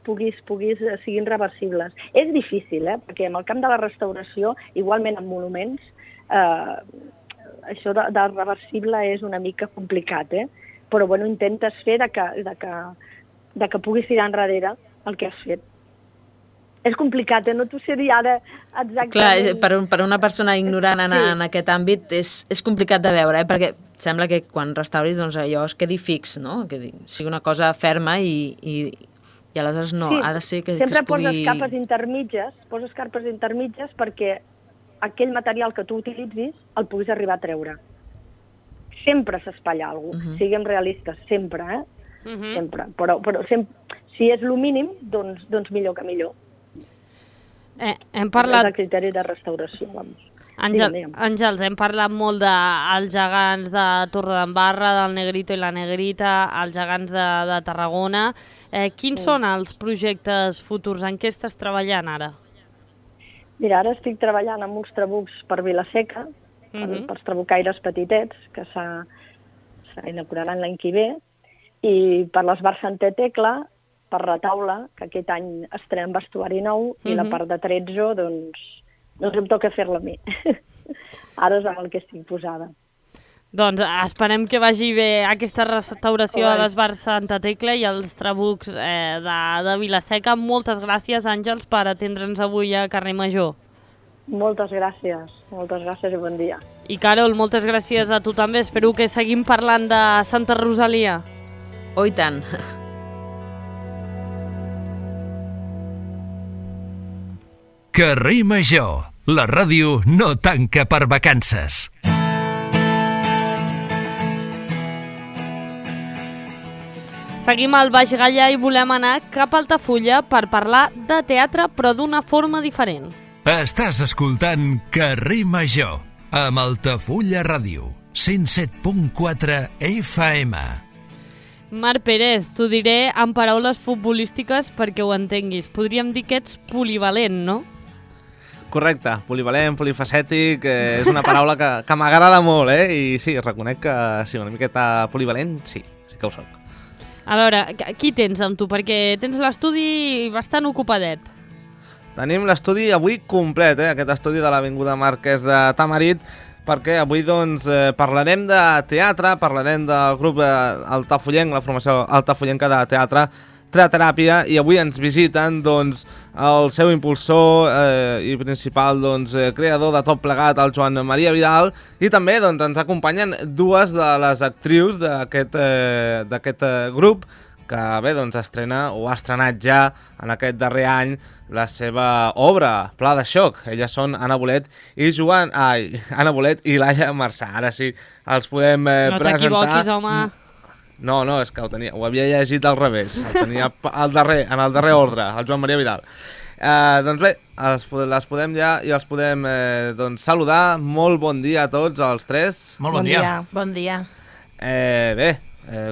siguin reversibles. És difícil, perquè en el camp de la restauració, igualment en monuments, això de reversible és una mica complicat, però intentes fer de que puguis tirar enrere el que has fet. És complicat, no t'ho sé dir ara exactament. Clar, per una persona ignorant en aquest àmbit és complicat de veure, perquè sembla que quan restauris allò es quedi fix, no? Que sigui una cosa ferma i aleshores no, ha de ser que es pugui... Sempre poses capes intermitges perquè aquell material que tu utilitzis el puguis arribar a treure. Sempre s'espatlla alguna cosa, siguem realistes, sempre, sempre. Però si és el mínim, doncs millor que millor. Hem parlat... És el criteri de restauració, vamos. Àngels, hem parlat molt dels gegants de Torredembarra, del Negrito i la Negrita, els gegants de Tarragona. Quins són els projectes futurs? En què estàs treballant ara? Mira, ara estic treballant amb uns trabucs per Vila-seca, pels trabucaires petitets, que s'inauguraran l'any que ve, i per l'Esbar Santa Tecla, per Retaula, que aquest any estrenem vestuari nou, i la part de Trezzo, doncs em toca fer-la a mi. Ara és amb el que estic posada. Doncs esperem que vagi bé aquesta restauració de l'Esbar Santa Tecla i els trabucs de Vila-seca. Moltes gràcies, Àngels, per atendre'ns avui a Carrer Major. Moltes gràcies i bon dia. I Carol, moltes gràcies a tu també. Espero que seguim parlant de Santa Rosalia. Oh, i tant. Carrer Major, la ràdio no tanca per vacances. Seguim al Baix Gaià i volem anar cap a Altafulla per parlar de teatre, però d'una forma diferent. Estàs escoltant Carrer Major, amb Altafulla Ràdio, 107.4 FM. Marc Pérez, t'ho diré en paraules futbolístiques perquè ho entenguis. Podríem dir que ets polivalent, no? Correcte, polivalent, polifacètic, és una paraula que m'agrada molt, i sí, reconec que sí, una miqueta polivalent, sí que ho soc. A veure, qui tens amb tu? Perquè tens l'estudi bastant ocupadet. Tenim l'estudi avui complet, aquest estudi de l'Avinguda Marquès de Tamarit, perquè avui doncs parlarem de teatre, parlarem del grup altafollenc, la formació altafollenca de teatre, Teateràpia, i avui ens visiten doncs, el seu impulsor i principal creador de tot plegat, el Joan Maria Vidal, i també ens acompanyen dues de les actrius d'aquest grup, que bé, estrena o ha estrenat ja en aquest darrer any la seva obra, Pla de xoc. Elles són Anna Bolet i Laia Marçà. Ara sí, els podem presentar. No t'equivoquis, home. No, és que ho havia llegit al revés. El tenia en el darrer ordre, el Joan Maria Vidal. Doncs bé, les podem ja i els podem saludar. Molt bon dia a tots, els tres. Molt bon dia. Bon dia. Bé,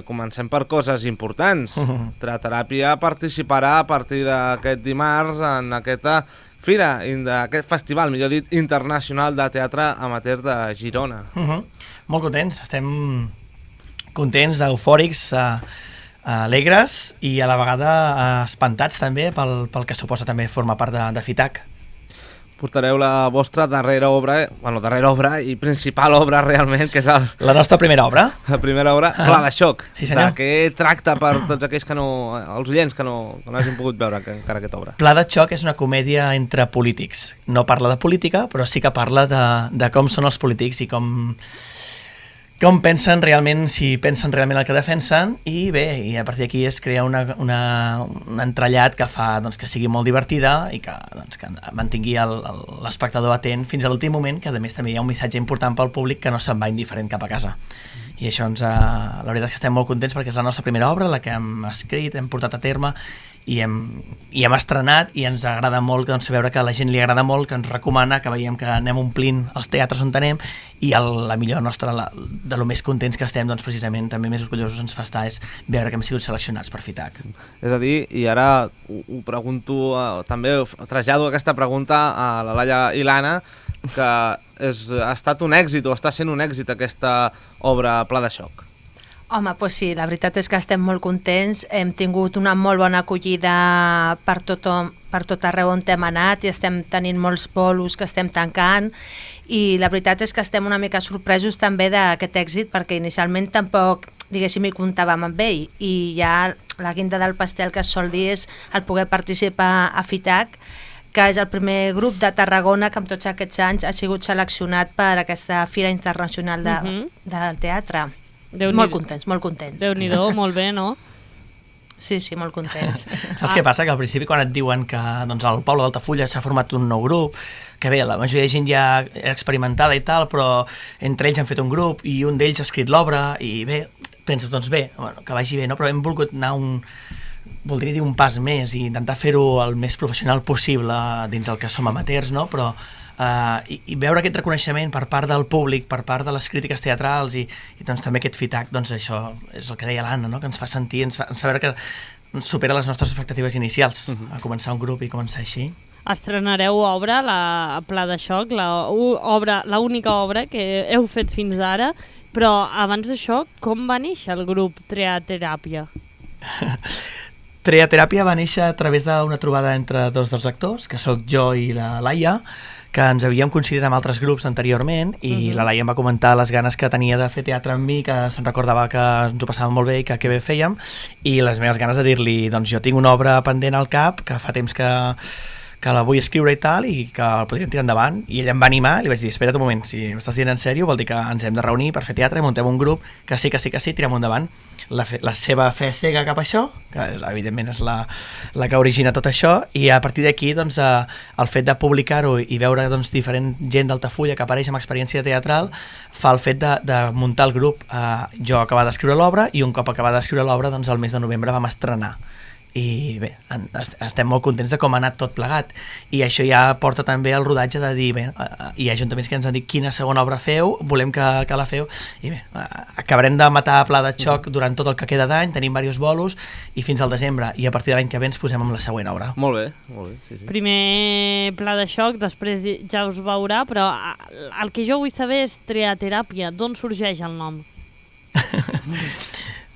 comencem per coses importants. Teateràpia participarà a partir d'aquest dimarts en aquesta fira, d'aquest festival, millor dit, internacional de teatre amateur de Girona. Molt contents, estem contents, eufòrics, alegres i a la vegada espantats també pel que suposa també formar part de FITAC. portareu la vostra darrera obra, darrera obra i principal obra realment, que és la nostra primera obra. La primera obra, Pla de xoc. Sí, senyor. De què tracta per tots aquells els oients que no hagin pogut veure encara aquesta obra? Pla de xoc és una comèdia entre polítics. No parla de política, però sí que parla de com són els polítics i com pensen realment, si pensen realment el que defensen, i bé, i a partir d'aquí es crea un entrellat que fa que sigui molt divertida i que mantingui l'espectador atent fins a l'últim moment, que a més també hi ha un missatge important pel públic que no se'n va indiferent cap a casa. I això la veritat és que estem molt contents perquè és la nostra primera obra, la que hem escrit, hem portat a terme i hem estrenat, i ens agrada molt veure que a la gent li agrada molt, que ens recomana, que veiem que anem omplint els teatres on anem, i la millor nostra, de lo més contents que estem, precisament també més orgullosos ens fa estar és veure que hem sigut seleccionats per FITAC. És a dir, i ara ho pregunto, també trasllado aquesta pregunta a la Laia i l'Anna, que ha estat un èxit o està sent un èxit aquesta obra Pla de xoc. Home, doncs sí, la veritat és que estem molt contents, hem tingut una molt bona acollida per tot arreu on hem anat i estem tenint molts bolos que estem tancant, i la veritat és que estem una mica sorpresos també d'aquest èxit, perquè inicialment tampoc, diguéssim, hi comptàvem amb ell, i ja la guinda del pastel que es sol dir és el poder participar a FITAC, que és el primer grup de Tarragona que en tots aquests anys ha sigut seleccionat per aquesta Fira Internacional del Teatre. Molt contents, molt contents. Déu-n'hi-do, molt bé, no? Sí, molt contents. Saps què passa? Que al principi quan et diuen que al poble d'Altafulla s'ha format un nou grup, que bé, la majoria de gent ja era experimentada i tal, però entre ells han fet un grup i un d'ells ha escrit l'obra i bé, penses, que vagi bé, no? Però hem volgut anar voldria dir un pas més i intentar fer-ho el més professional possible dins el que som amateurs, no? Però i veure aquest reconeixement per part del públic, per part de les crítiques teatrals i també aquest FITAC, això és el que deia l'Anna, no? Que ens fa sentir, ens fa veure que supera les nostres expectatives inicials a començar un grup i començar així. Estrenareu obra, la Pla de xoc, l'única obra que heu fet fins ara, però abans d'això, com va néixer el grup Triateràpia? Triateràpia va néixer a través d'una trobada entre dos actors, que sóc jo i la Laia, que ens havíem coincidit amb altres grups anteriorment, i la Laia em va comentar les ganes que tenia de fer teatre amb mi, que se'n recordava que ens ho passàvem molt bé i que bé fèiem, i les meves ganes de dir-li, jo tinc una obra pendent al cap, que fa temps que la vull escriure i tal, i que el podríem tirar endavant, i ell em va animar, i li vaig dir, espera't un moment, si m'estàs dient en sèrio, vol dir que ens hem de reunir per fer teatre, muntem un grup, que sí, tirem endavant. La seva fe cega cap a això, que evidentment és la que origina tot això, i a partir d'aquí el fet de publicar-ho i veure diferent gent d'Altafulla que apareix amb experiència teatral fa el fet de muntar el grup. Jo acabava d'escriure l'obra, i un cop acabava d'escriure l'obra, el mes de novembre vam estrenar. I bé, estem molt contents de com ha anat tot plegat, i això ja porta també el rodatge de dir, bé, hi ha ajuntaments que ens han dit quina segona obra feu, volem que la feu, i bé, acabarem de matar Pla de xoc durant tot el que queda d'any, tenim diversos bolos, i fins al desembre, i a partir de l'any que ve ens posem amb la següent obra. Molt bé, sí. Primer Pla de xoc, després ja us veurà, però el que jo vull saber és Triateràpia, d'on sorgeix el nom?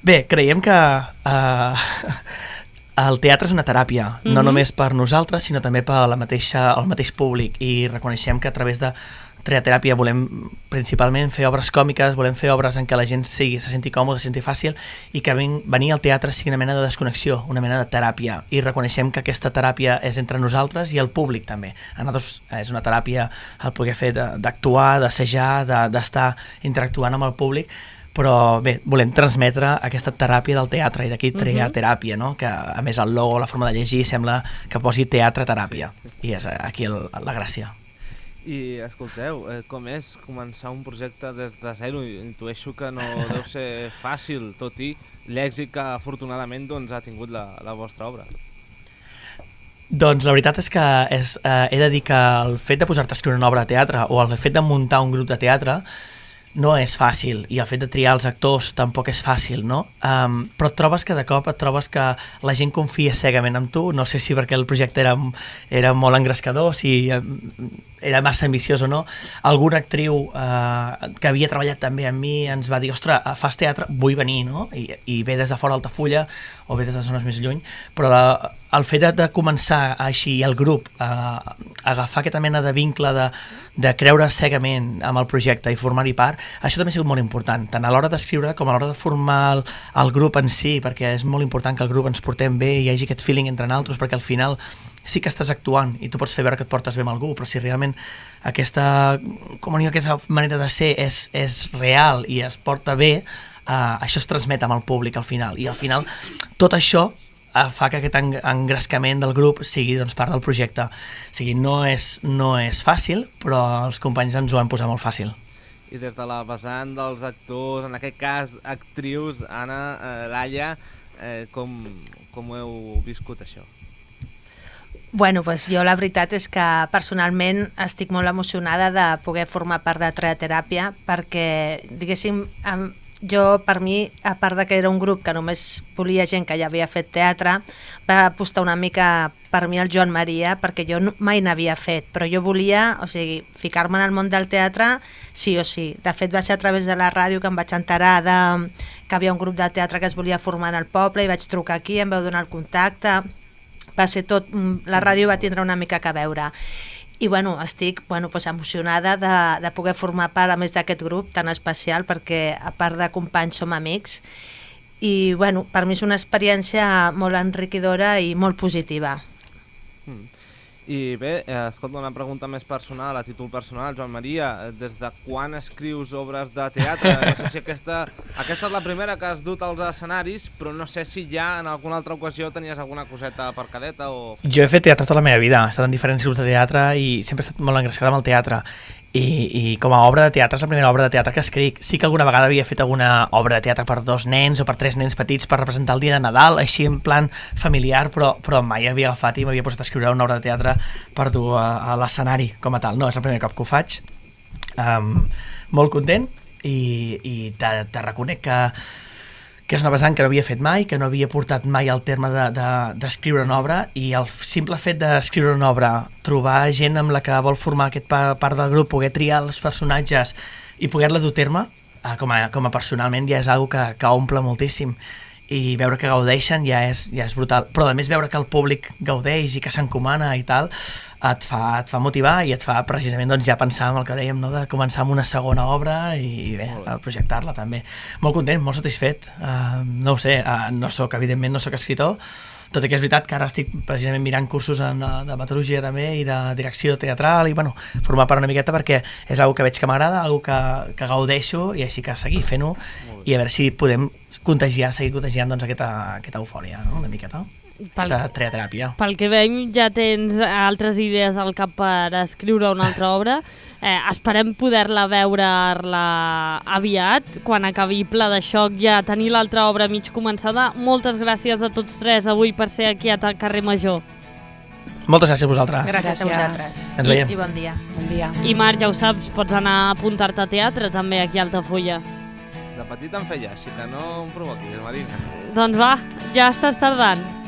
Bé, creiem que el teatre és una teràpia, no només per nosaltres, sinó també per el mateix públic, i reconeixem que a través de Triateràpia volem principalment fer obres còmiques, volem fer obres en què la gent se senti còmode, se senti fàcil, i que venir al teatre sigui una mena de desconnexió, una mena de teràpia, i reconeixem que aquesta teràpia és entre nosaltres i el públic també. A nosaltres és una teràpia el poder fer d'actuar, d'assajar, d'estar interactuant amb el públic, però bé, volem transmetre aquesta teràpia del teatre, i d'aquí Triateràpia, no? Que a més el logo, la forma de llegir, sembla que posi teatre-teràpia, i és aquí la gràcia. I escolteu, com és començar un projecte des de zero? Intueixo que no deu ser fàcil, tot i l'èxit que afortunadament ha tingut la vostra obra. Doncs la veritat és que he de dir que el fet de posar-te a escriure una obra de teatre o el fet de muntar un grup de teatre no és fàcil, i el fet de triar els actors tampoc és fàcil, no? Però et trobes que de cop et trobes que la gent confia cegament en tu, no sé si perquè el projecte era molt engrescador, si era massa ambiciós o no. Alguna actriu que havia treballat també amb mi ens va dir, ostres, fas teatre, vull venir, no? I ve des de fora d'Altafulla o ve des de zones més lluny, però el fet de començar així el grup agafar aquesta mena de vincle de creure cegament amb el projecte i formar-hi part, això també ha sigut molt important, tant a l'hora d'escriure com a l'hora de formar el grup en si, perquè és molt important que el grup ens portem bé i hi hagi aquest feeling entre nosaltres, perquè al final sí que estàs actuant i tu pots fer veure que et portes bé amb algú, però si realment aquesta comunió, aquesta manera de ser és real i es porta bé, això es transmet amb el públic al final, i al final tot això fa que aquest engrescament del grup sigui doncs, part del projecte. O sigui, no és fàcil, però els companys ens ho han posat molt fàcil. I des de la vessant dels actors, en aquest cas actrius, Anna, Laia, com ho heu viscut això? Bueno, pues jo la veritat és que personalment estic molt emocionada de poder formar part de Teateràpia, perquè, diguéssim, jo, per mi, a part de que era un grup que només volia gent que ja havia fet teatre, va apostar una mica per mi el Joan Maria, perquè jo mai n'havia fet, però jo volia, o sigui, ficar-me en el món del teatre sí o sí. De fet, va ser a través de la ràdio que em vaig enterar que havia un grup de teatre que es volia formar en el poble, i vaig trucar aquí, em vau donar el contacte, va ser tot, la ràdio va tindre una mica que a veure. I bueno, estic emocionada de poder formar part a més d'aquest grup tan especial, perquè a part de companys som amics, i bueno, per mi és una experiència molt enriquidora i molt positiva. I bé, escolta, una pregunta més personal, a títol personal, Joan Maria, des de quan escrius obres de teatre? No sé si aquesta és la primera que has dut als escenaris, però no sé si ja en alguna altra ocasió tenies alguna coseta per cadeta o... Jo he fet teatre tota la meva vida, he estat en diferents grups de teatre i sempre he estat molt engrescada amb el teatre. I com a obra de teatre és la primera obra de teatre que escric. Sí que alguna vegada havia fet alguna obra de teatre per 2 nens o per 3 nens petits per representar el dia de Nadal, així en plan familiar, però mai havia agafat i m'havia posat a escriure una obra de teatre per dur a l'escenari com a tal. No, és el primer cop que ho faig. Molt content i te reconec que és una vessant que no havia fet mai, que no havia portat mai al terme d'escriure una obra, i el simple fet d'escriure una obra, trobar gent amb la que vol formar aquest part del grup, poder triar els personatges i poder-la dur a terme, com a personalment ja és una cosa que omple moltíssim, i veure que gaudeixen ja és brutal, però a més veure que el públic gaudeix i que s'encomana i tal, et fa motivar i et fa precisament ja pensar en el que dèiem, no? De començar amb una segona obra i bé, projectar-la també. Molt content, molt satisfet, no ho sé, evidentment no soc escriptor, tot i que és veritat que ara estic precisament mirant cursos de dramaturgia també i de direcció teatral i bueno, formar part una miqueta perquè és una que veig que m'agrada, una que gaudeixo, i així que seguir fent-ho i a veure si podem seguir contagiant doncs, aquesta eufòria, no? Una miqueta. Aquesta teateràpia. Pel que veiem ja tens altres idees al cap per escriure una altra obra. Esperem poder-la veure-la aviat, quan acabi Pla de Xoc, ja tenir l'altra obra mig començada. Moltes gràcies a tots tres avui per ser aquí a Carrer Major. Moltes gràcies a vosaltres. Gràcies a vosaltres. Ens veiem. I bon dia. Bon dia. I Marc, ja ho saps, pots anar a apuntar-te a teatre també aquí a Altafulla. De petit em feia, així que no em provoquis, Marina. Doncs va, ja estàs tardant.